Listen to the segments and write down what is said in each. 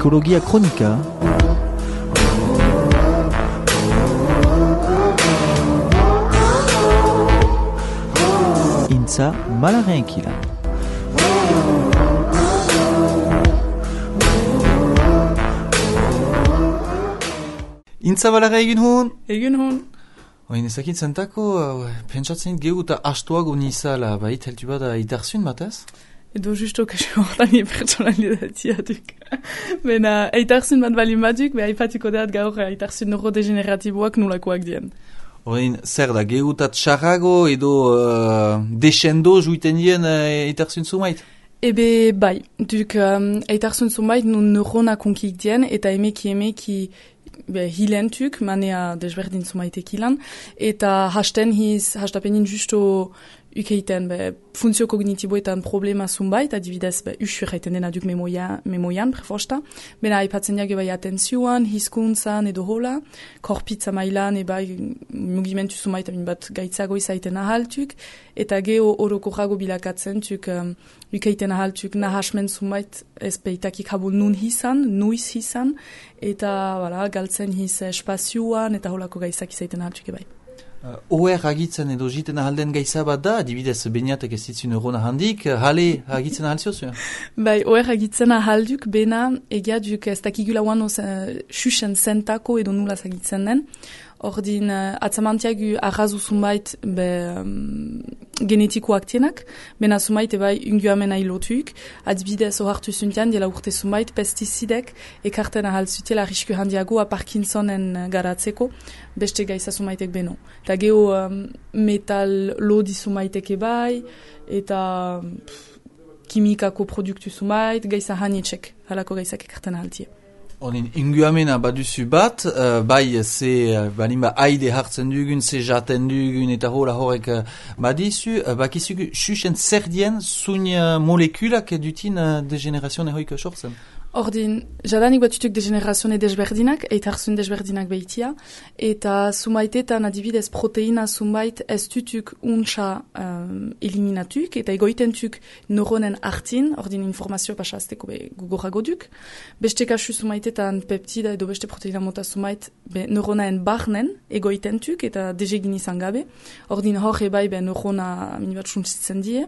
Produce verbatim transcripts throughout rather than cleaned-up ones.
Psikologia kronika. Intza malaren kilan. Intza malaren egin hon? Egin hon. Oin ezakit zentako, uh, pentsatzen gehu eta astuago nizala, bait, heltu bada itarzun batez? Edo justo kasu hortan pertsonalidatia duk. Bena, eitarzun bat bali maduk, beha ipatiko deat gaur eitarzun neurodegeneratiboak nolakoak dien. Oin, zer da, gehu eta txarrago edo uh, desendo juiten dien uh, eitarzun zumait? Ebe, bai, duk um, eitarzun zumait nun neurona konkik dien, eta emeki emeki be, hilentuk, manea desberdin zumaitek hilan, eta hasten hiz, hastapenin justo ukeiten, be, funtzio kognitiboetan problema zunbait, adibidez, be, usur haiten dena duk memoian, memoian prefosta, bena aipatzen jage bai atenzioan, hizkuntzan edo hola, korpitza mailan, ebai mugimentu zunbait, amin bat gaitzago izaiten ahaltuk, eta geho orokorago bilakatzen tuk, um, ukeiten ahaltuk nahasmen zunbait, ez peitakik habo nun hizan, nuiz hizan, eta, wala, galtzen hiz espazioan, eta holako gaitzak izaiten ahaltuk ebai. Uh, Oer agitzen edo jiten ahalden gaitza bat da, adibidez beniatek ez ditzu neurona handik, hale agitzen ahalziozu? Bai, oer agitzen ahalduk, bena egia duk ez dakigula uan xuxen zentako edo nulaz agitzen den. Ordin, uh, atzamantiagu arrazu zumait be, um, genetikoak tienak, bena zumait ebai unguamen ailotuk, adibidez ohartu zuntian, diela urte zumait, pestizidek ekarten ahal zutela risku handiagoa Parkinsonen garatzeko, beste gaiza zumaitek beno. Eta geho um, metal lodi zumaitek ebai, eta pff, kimikako produktu zumait, gaiza hanietxek, halako gaizak ekarten ahaltie. Honin, inguamena baduzu bat, uh, bai ze uh, balimba haide hartzen dugun, ze jaten dugun eta hola horrek uh, badizu, uh, bakizugu xuxen zer dien zun uh, molekulak dutin uh, degenerazione hoik sortzen? Ordin, jadanik batutuk degenerazione desberdinak, eitarzun desberdinak behitia, eta zumaitetan adibidez proteina zumait ez tutuk untsa um, eliminatuk, eta egoitentuk neuronen artin, ordin informazio pasazteko be gugorago duk. Beste kasu zumaitetan peptida edo beste proteina mota zumait be neuronaen barnen egoitentuk, eta dezegin izan gabe. Ordin hor ebai be neurona minibat suntsitzen die,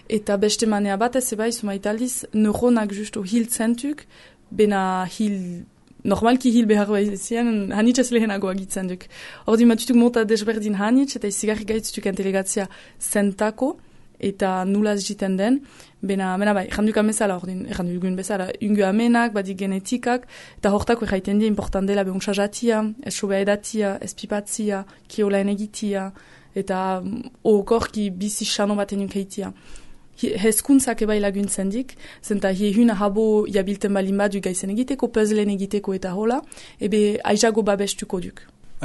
eta beste manea batez ebai zumaitaliz neuronak justo hiltzentuk, bena hil, normalki hil behar behizien, hanitz ez lehenago agitzen duk. Ordin matutuk mota desberdin hanitz, eta izigarri gaitzutuk entelegatzia zentako, eta nulaz jiten den, bena, bena bai, erranduk amezala, ordin, erranduk egun bezala, ungu amenak, badik genetikak, eta hortako erraiten die important dela behuntza jatia, ez sobea edatia, ez pipatzia, kiolaen egitia, eta okorki bizi xano baten unkeitia. Hezkuntzak ebai laguntzen dik, zenta hiehuna habo jabilten balin badu gaizen egiteko, puzzleen egiteko eta hola, ebe aizago babestuko duk.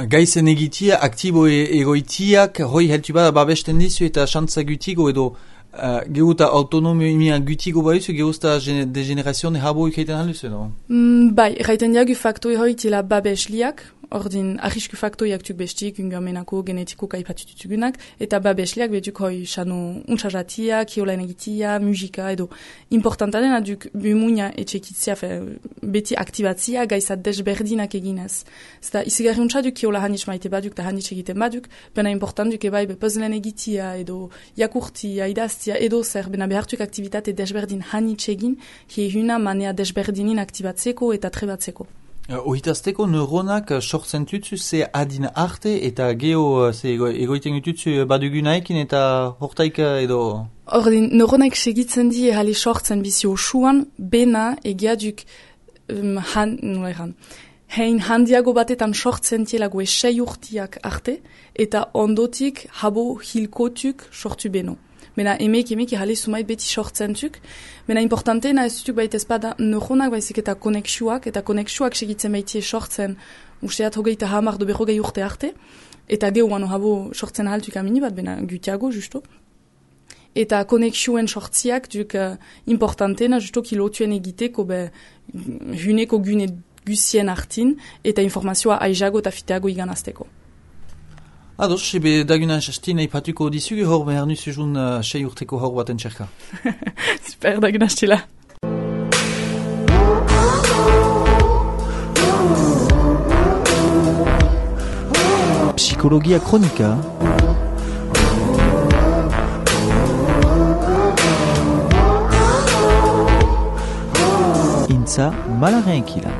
Gaizen egitia, aktibo e egoitiak, hoi heltu bada babesten dizu eta xantza gutigo edo uh, gehuta autonomia gutigo baizu, gehuta degenerazione habo ikeiten haluzu edo? Mm, bai, erraiten diagu faktoi hoi tila babesliak, ordin arrisku faktoiak tuk bestik, ungamenako, genetiko kaipatututugunak, eta babesliak betuk hoi xano untsajatia, kiolaen egitia, musika, edo importanta dena duk bumunia etxekitzia, fe, beti aktibatzia gaizat desberdinak eginez. Zeta izigarri untsa duk kiola hanitz maite baduk, eta hanitz egiten baduk, bena important duk ebai be puzzleen egitia, edo jakurtia, idaztia, edo zer, bena behartuk aktivitate desberdin hanitz egin, hiehuna manea desberdinin aktibatzeko eta trebatzeko. Uh, Ohitazteko neuronak uh, sortzen tutsu ze adin arte eta geho uh, ze ego, egoiten tutsu badugunaekin eta hortaik uh, edo... Ordin, neuronak segitzen die hali sortzen bizi osuan, bena egiaduk um, han, nula eran, hein handiago batetan sortzen tielago esei urtiak arte, eta ondotik habo hilkotuk sortu beno. Bena emek emek hali sumait beti sortzentuk. Bena importanteena ez dutuk baita ezpada neuronak baizik eta konexuak, eta konexuak segitzen baitie sortzen usteat hogeita hamar do berrogei urte arte, eta gehuan habo sortzen ahaltuk amini bat, bena gutiago justo. Eta konexuen sortziak duk uh, importanteena justo kilotuen egiteko be huneko gune gusien artin, eta informazioa aizago eta fiteago iganazteko. Ados, ebe dagunan sastin eipatuko dizugu hor behar nuzuzun uh, sei urteko hor baten txerka. Super, dagunan stila. Ekologia Kronika. Intza Malaren Kila.